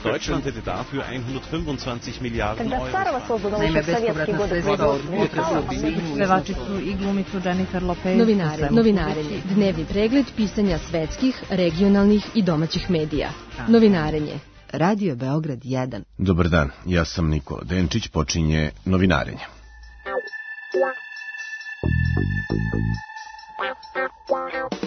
Deutschland hätte dafür 125 Miliarden Euro. Naime, bespovratna sredstva pevačicu i glumicu Jennifer Lopez. Novinarenje. Dnevni pregled pisanja svetskih, regionalnih i domaćih medija. Novinarenje. Radio Beograd 1. Dobar dan, ja sam Nikola Denčić, počinje Novinarenje.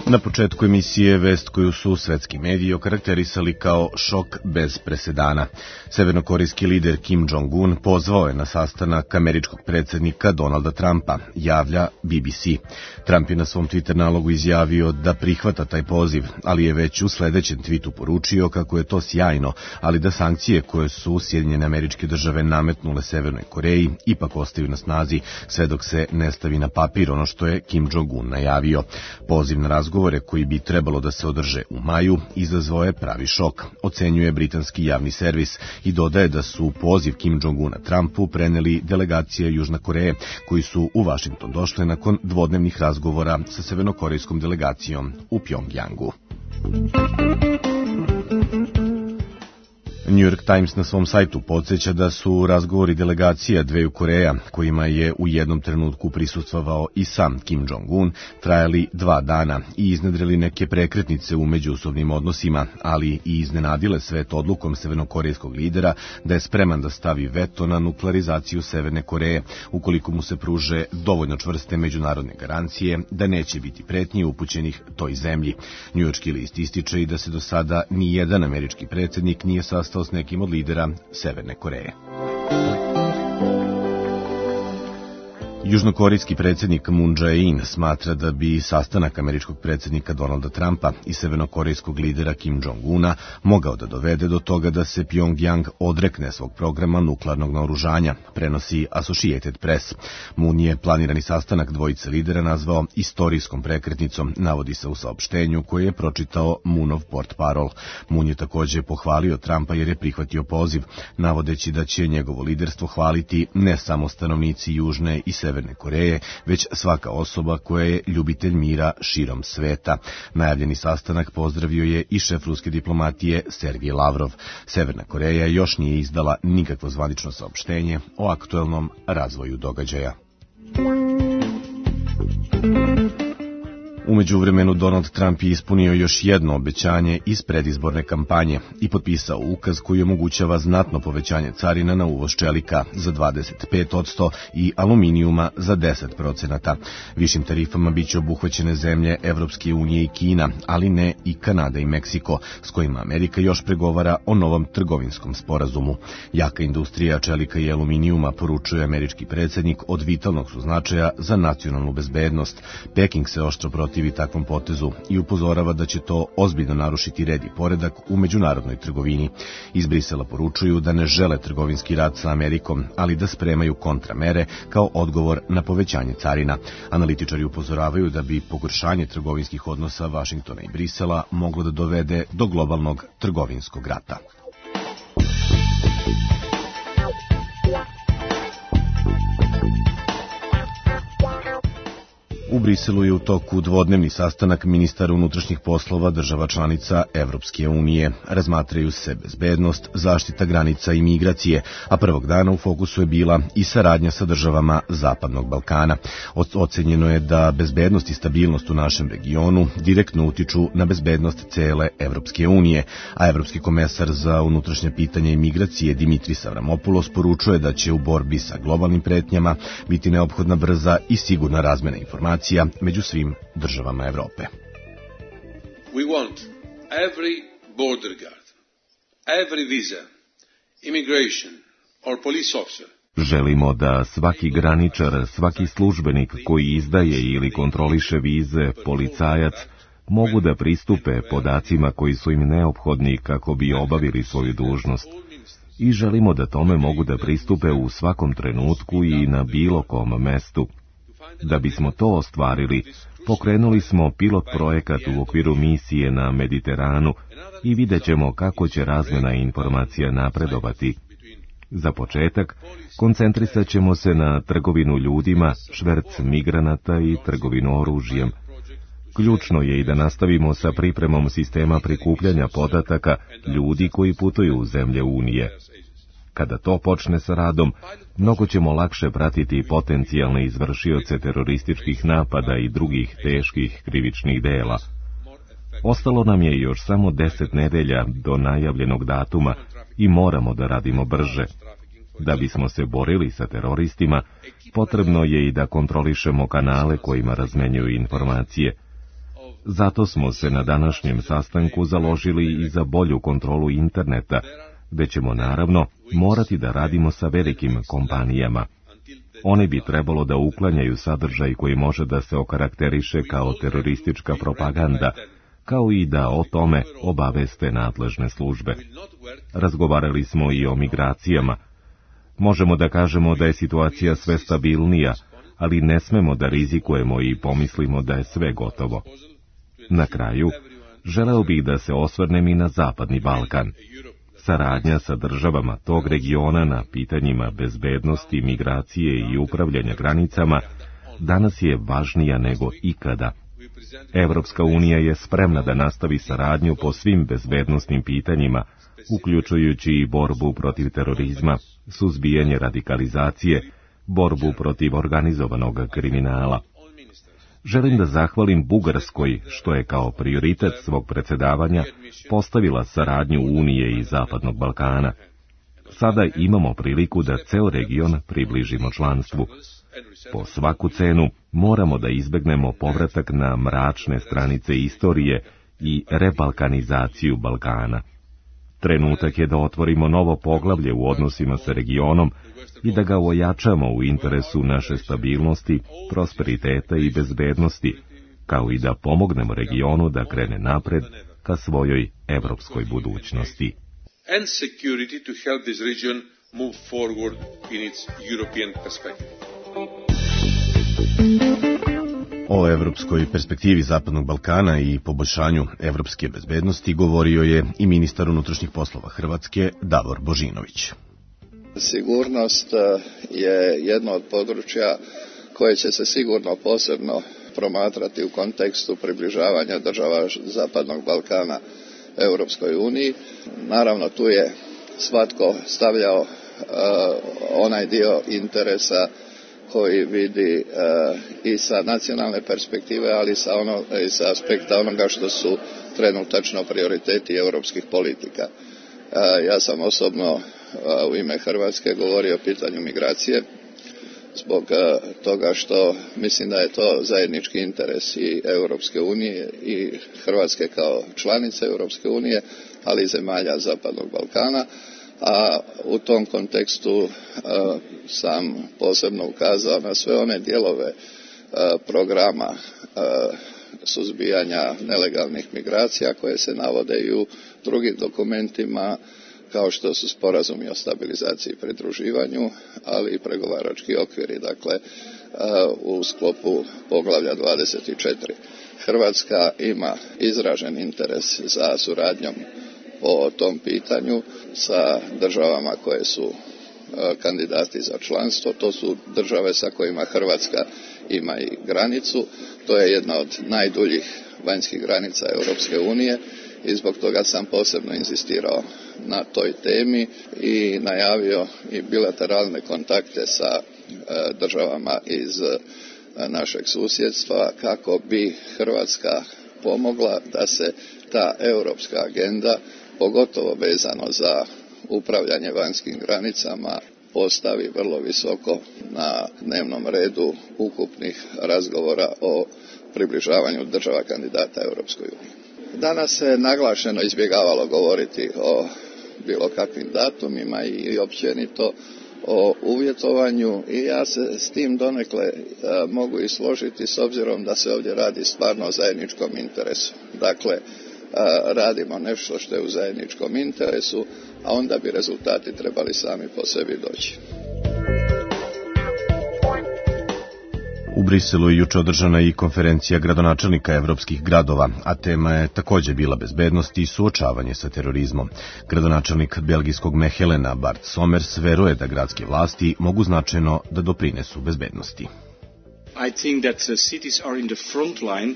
Na početku emisije vest koju su svetski mediji okarakterisali kao šok bez presedana. Severnokorejski lider Kim Jong-un pozvao je na sastanak američkog predsjednika Donalda Trumpa, javlja BBC. Trump je na svom Twitter nalogu izjavio da prihvata taj poziv, ali je već u sledećem tweetu poručio kako je to sjajno, ali da sankcije koje su Sjedinjene Američke Države nametnule Severnoj Koreji ipak ostaju na snazi sve dok se ne stavi na papir ono što je Kim Jong-un najavio. Poziv na razgovore koji bi trebalo da se održe u maju izazvao je pravi šok, ocenjuje britanski javni servis i dodaje da su poziv Kim Jong-una Trumpu preneli delegacije Južne Koreje koji su u Vašington došle nakon dvodnevnih razgovora sa severnokorejskom delegacijom u Pjongjangu. New York Times na svom sajtu podsjeća da su razgovori delegacija dveju Koreja, kojima je u jednom trenutku prisustvovao i sam Kim Jong-un, trajali 2 dana i iznedrili neke prekretnice u međusobnim odnosima, ali i iznenadile svet odlukom severnokorejskog lidera da je spreman da stavi veto na nuklearizaciju Severne Koreje, ukoliko mu se pruže dovoljno čvrste međunarodne garancije da neće biti pretnji upućenih toj zemlji. Njujorški list ističe i da se do sada ni jedan američki predsjednik nije sastao s nekim od lidera Severne Koreje. Južnokorejski predsjednik Moon Jae-in smatra da bi sastanak američkog predsjednika Donalda Trumpa i severnokorejskog lidera Kim Jong-una mogao da dovede do toga da se Pjongjang odrekne svog programa nuklearnog naoružanja, prenosi Associated Press. Moon je planirani sastanak dvojice lidera nazvao istorijskom prekretnicom, navodi se u saopštenju koje je pročitao Moonov portparol. Moon je također pohvalio Trumpa jer je prihvatio poziv, navodeći da će njegovo liderstvo hvaliti ne samo stanovnici Južne i Severne Koreje, već svaka osoba koja je ljubitelj mira širom sveta. Najavljeni sastanak pozdravio je i šef ruske diplomatije Sergej Lavrov. Severna Koreja još nije izdala nikakvo zvanično saopštenje o aktuelnom razvoju događaja. U međuvremenu Donald Trump je ispunio još jedno obećanje iz predizborne kampanje i potpisao ukaz koji omogućava znatno povećanje carina na uvoz čelika za 25% i aluminijuma za 10%. Višim tarifama biće obuhvaćene zemlje Evropske unije i Kina, ali ne i Kanada i Meksiko, s kojima Amerika još pregovara o novom trgovinskom sporazumu. Jaka industrija čelika i aluminijuma, poručuje američki predsjednik, od vitalnog su značaja za nacionalnu bezbednost. Peking se oštro protivi takvom potezu i upozorava da će to ozbiljno narušiti red i poredak u međunarodnoj trgovini. Iz Brisela poručuju da ne žele trgovinski rat sa Amerikom, ali da spremaju kontramere kao odgovor na povećanje carina. Analitičari upozoravaju da bi pogoršanje trgovinskih odnosa Vašingtona i Brisela moglo da dovede do globalnog trgovinskog rata. U Briselu je u toku dvodnevni sastanak ministara unutrašnjih poslova država članica Evropske unije. Razmatraju se bezbednost, zaštita granica i migracije, a prvog dana u fokusu je bila i saradnja sa državama Zapadnog Balkana. Ocenjeno je da bezbednost i stabilnost u našem regionu direktno utiču na bezbednost cele Evropske unije, a evropski komesar za unutrašnje pitanja i migracije Dimitris Avramopoulos poručuje da će u borbi sa globalnim pretnjama biti neophodna brza i sigurna razmena informacija među svim državama Evrope. We want every border guard, every visa, immigration or police officer. Želimo da svaki graničar, svaki službenik koji izdaje ili kontroliše vize, policajac, mogu da pristupe podacima koji su im neophodni kako bi obavili svoju dužnost. I želimo da tome mogu da pristupe u svakom trenutku i na bilo kom mestu. Da bismo to ostvarili, pokrenuli smo pilot projekat u okviru misije na Mediteranu i vidjet ćemo kako će razmjena informacija napredovati. Za početak, koncentrisat ćemo se na trgovinu ljudima, šverc migranata i trgovinu oružjem. Ključno je i da nastavimo sa pripremom sistema prikupljanja podataka ljudi koji putuju u zemlje Unije. Kada to počne sa radom, mnogo ćemo lakše pratiti potencijalne izvršioce terorističkih napada i drugih teških krivičnih dela. Ostalo nam je još samo 10 nedelja do najavljenog datuma i moramo da radimo brže. Da bismo se borili sa teroristima, potrebno je i da kontrolišemo kanale kojima razmenjuju informacije. Zato smo se na današnjem sastanku založili i za bolju kontrolu interneta, gde ćemo naravno morati da radimo sa velikim kompanijama. One bi trebalo da uklanjaju sadržaj koji može da se okarakteriše kao teroristička propaganda, kao i da o tome obaveste nadležne službe. Razgovarali smo i o migracijama. Možemo da kažemo da je situacija sve stabilnija, ali ne smemo da rizikujemo i pomislimo da je sve gotovo. Na kraju, želeo bih da se osvrnem i na Zapadni Balkan. Saradnja sa državama tog regiona na pitanjima bezbednosti, migracije i upravljanja granicama danas je važnija nego ikada. Evropska unija je spremna da nastavi saradnju po svim bezbednosnim pitanjima, uključujući i borbu protiv terorizma, suzbijanje radikalizacije, borbu protiv organizovanog kriminala. Želim da zahvalim Bugarskoj, što je kao prioritet svog predsjedavanja postavila saradnju Unije i Zapadnog Balkana. Sada imamo priliku da ceo region približimo članstvu. Po svaku cenu moramo da izbegnemo povratak na mračne stranice istorije i rebalkanizaciju Balkana. Trenutak je da otvorimo novo poglavlje u odnosima sa regionom i da ga ojačamo u interesu naše stabilnosti, prosperiteta i bezbednosti, kao i da pomognemo regionu da krene napred ka svojoj evropskoj budućnosti. And security to help this region move forward in its European perspective. O evropskoj perspektivi Zapadnog Balkana i poboljšanju evropske bezbednosti govorio je i ministar unutrašnjih poslova Hrvatske Davor Božinović. Sigurnost je jedno od područja koje će se sigurno posebno promatrati u kontekstu približavanja država Zapadnog Balkana Europskoj uniji. Naravno, tu je svatko stavljao onaj dio interesa koji vidi i sa nacionalne perspektive, ali i sa aspekta onoga što su trenutačno prioriteti europskih politika. Ja sam osobno u ime Hrvatske govorio o pitanju migracije, zbog toga što mislim da je to zajednički interes i Europske unije i Hrvatske kao članice Europske unije, ali i zemalja Zapadnog Balkana. A u tom kontekstu sam posebno ukazao na sve one dijelove programa suzbijanja nelegalnih migracija koje se navode i u drugim dokumentima kao što su sporazumi o stabilizaciji i pridruživanju, ali i pregovarački okviri, dakle u sklopu poglavlja 24. Hrvatska ima izražen interes za suradnjom po tom pitanju sa državama koje su kandidati za članstvo. To su države sa kojima Hrvatska ima i granicu. To je jedna od najduljih vanjskih granica Europske unije i zbog toga sam posebno inzistirao na toj temi i najavio i bilateralne kontakte sa državama iz našeg susjedstva kako bi Hrvatska pomogla da se ta europska agenda, pogotovo vezano za upravljanje vanjskim granicama, postavi vrlo visoko na dnevnom redu ukupnih razgovora o približavanju država kandidata Europskoj uniji. Danas se naglašeno izbjegavalo govoriti o bilo kakvim datumima i općenito o uvjetovanju i ja se s tim donekle mogu i složiti s obzirom da se ovdje radi stvarno o zajedničkom interesu. Dakle, radimo nešto što je u zajedničkom interesu, a onda bi rezultati trebali sami po sebi doći. U Briselu je juče održana i konferencija gradonačelnika evropskih gradova, a tema je također bila bezbednost i suočavanje sa terorizmom. Gradonačelnik belgijskog Mehelena Bart Somers veruje da gradske vlasti mogu značajno da doprinesu bezbednosti. I think that cities are in the front line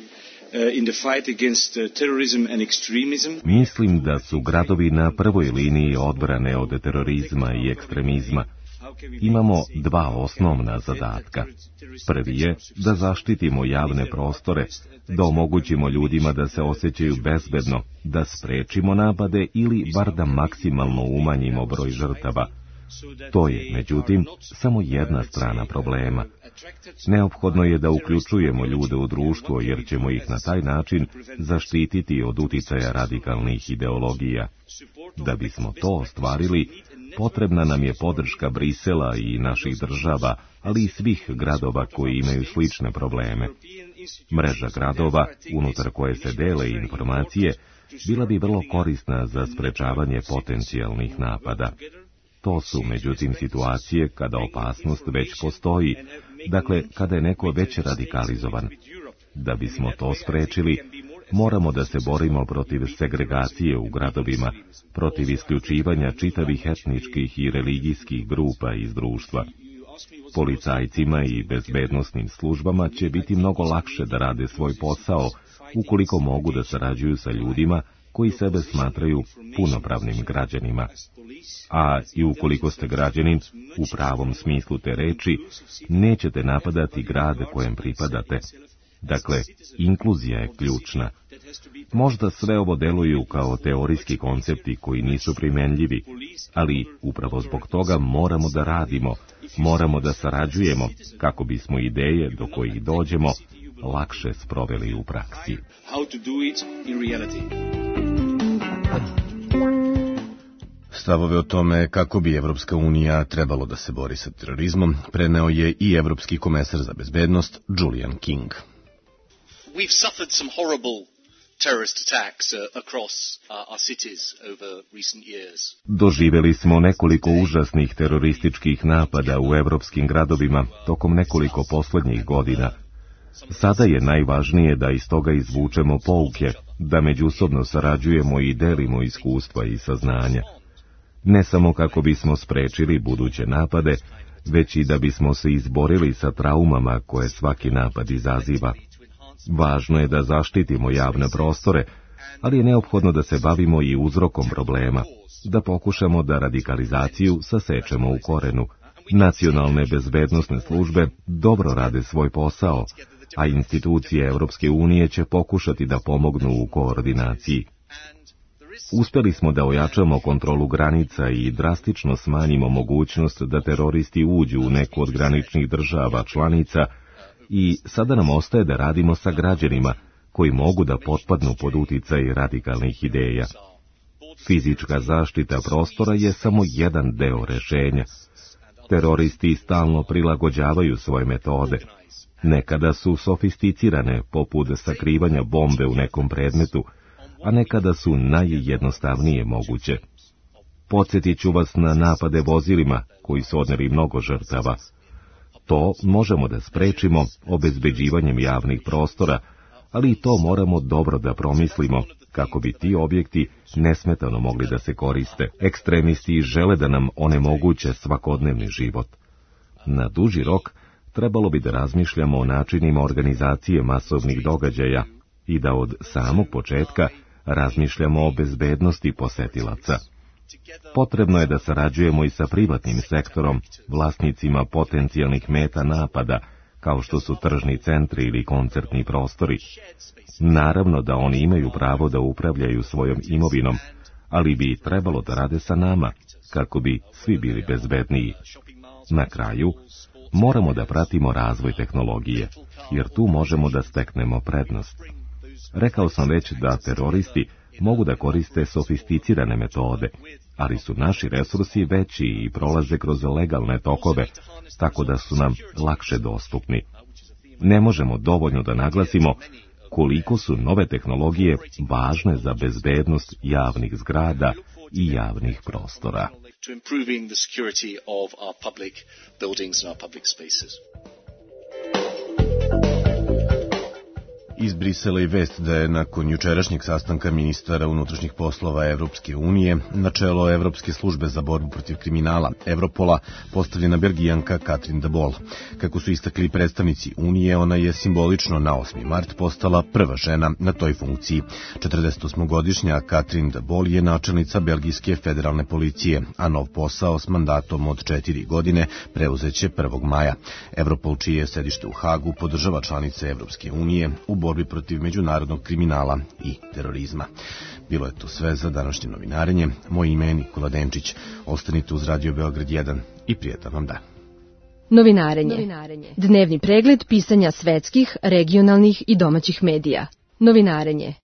in the fight against terrorism and extremism. Mislim da su gradovi na prvoj liniji odbrane od terorizma i ekstremizma. Imamo dva osnovna zadatka. Prvi je da zaštitimo javne prostore, da omogućimo ljudima da se osjećaju bezbedno, da sprečimo napade ili bar da maksimalno umanjimo broj žrtava. To je, međutim, samo jedna strana problema. Neophodno je da uključujemo ljude u društvo, jer ćemo ih na taj način zaštititi od uticaja radikalnih ideologija. Da bismo to ostvarili, potrebna nam je podrška Brisela i naših država, ali i svih gradova koji imaju slične probleme. Mreža gradova, unutar koje se dele informacije, bila bi vrlo korisna za sprečavanje potencijalnih napada. To su, međutim, situacije kada opasnost već postoji, dakle, kada je neko već radikalizovan. Da bismo to sprečili, moramo da se borimo protiv segregacije u gradovima, protiv isključivanja čitavih etničkih i religijskih grupa iz društva. Policajcima i bezbednosnim službama će biti mnogo lakše da rade svoj posao, ukoliko mogu da sarađuju sa ljudima koji sebe smatraju punopravnim građanima. A i ukoliko ste građanin, u pravom smislu te reči, nećete napadati grad kojem pripadate. Dakle, inkluzija je ključna. Možda sve ovo deluju kao teorijski koncepti koji nisu primenljivi, ali upravo zbog toga moramo da radimo, moramo da sarađujemo, kako bismo ideje do kojih dođemo lakše sproveli u praksi. Stavove o tome kako bi Evropska unija trebalo da se bori sa terorizmom preneo je i Evropski komesar za bezbednost Julian King. We've suffered some horrible terrorist attacks across our cities over recent years. Doživeli smo nekoliko užasnih terorističkih napada u evropskim gradovima tokom nekoliko poslednjih godina. Sada je najvažnije da iz toga izvučemo pouke, da međusobno sarađujemo i delimo iskustva i saznanja. Ne samo kako bismo sprečili buduće napade, već i da bismo se izborili sa traumama koje svaki napad izaziva. Važno je da zaštitimo javne prostore, ali je neophodno da se bavimo i uzrokom problema, da pokušamo da radikalizaciju sasečemo u korenu. Nacionalne bezbednosne službe dobro rade svoj posao, a institucije Evropske unije će pokušati da pomognu u koordinaciji. Uspeli smo da ojačamo kontrolu granica i drastično smanjimo mogućnost da teroristi uđu u neku od graničnih država članica i sada nam ostaje da radimo sa građanima koji mogu da potpadnu pod uticaj radikalnih ideja. Fizička zaštita prostora je samo jedan deo rešenja. Teroristi stalno prilagođavaju svoje metode. Nekada su sofisticirane, poput sakrivanja bombe u nekom predmetu, a nekada su najjednostavnije moguće. Podsjetit ću vas na napade vozilima, koji su odneli mnogo žrtava. To možemo da sprečimo obezbeđivanjem javnih prostora, ali i to moramo dobro da promislimo, kako bi ti objekti nesmetano mogli da se koriste. Ekstremisti žele da nam onemoguće svakodnevni život. Na duži rok trebalo bi da razmišljamo o načinima organizacije masovnih događaja i da od samog početka razmišljamo o bezbednosti posetilaca. Potrebno je da sarađujemo i sa privatnim sektorom, vlasnicima potencijalnih meta napada, kao što su tržni centri ili koncertni prostori. Naravno da oni imaju pravo da upravljaju svojom imovinom, ali bi trebalo da rade sa nama, kako bi svi bili bezbedniji. Na kraju, moramo da pratimo razvoj tehnologije, jer tu možemo da steknemo prednost. Rekao sam već da teroristi mogu da koriste sofisticirane metode, ali su naši resursi veći i prolaze kroz legalne tokove, tako da su nam lakše dostupni. Ne možemo dovoljno da naglasimo koliko su nove tehnologije važne za bezbednost javnih zgrada i javnih prostora. Iz Brisela i vest da je nakon jučerašnjeg sastanka ministara unutrašnjih poslova Evropske unije na čelo Evropske službe za borbu protiv kriminala Evropola postavljena Belgijanka Katrin de Boll. Kako su istakli predstavnici Unije, ona je simbolično na 8. mart postala prva žena na toj funkciji. 48-godišnja Katrin de Boll je načelnica belgijske federalne policije, a nov posao s mandatom od 4 godine preuzeće 1. maja. Evropol, čije je sedište u Hagu, podržava članice Evropske unije u borbi protiv međunarodnog kriminala i terorizma. Bilo je to sve za današnje novinarenje. Moje ime je Nikola Denčić. Ostanite uz Radio Beograd 1 i prijetan vam dan. Novinarenje. Dnevni pregled pisanja svetskih, regionalnih i domaćih medija. Novinarenje.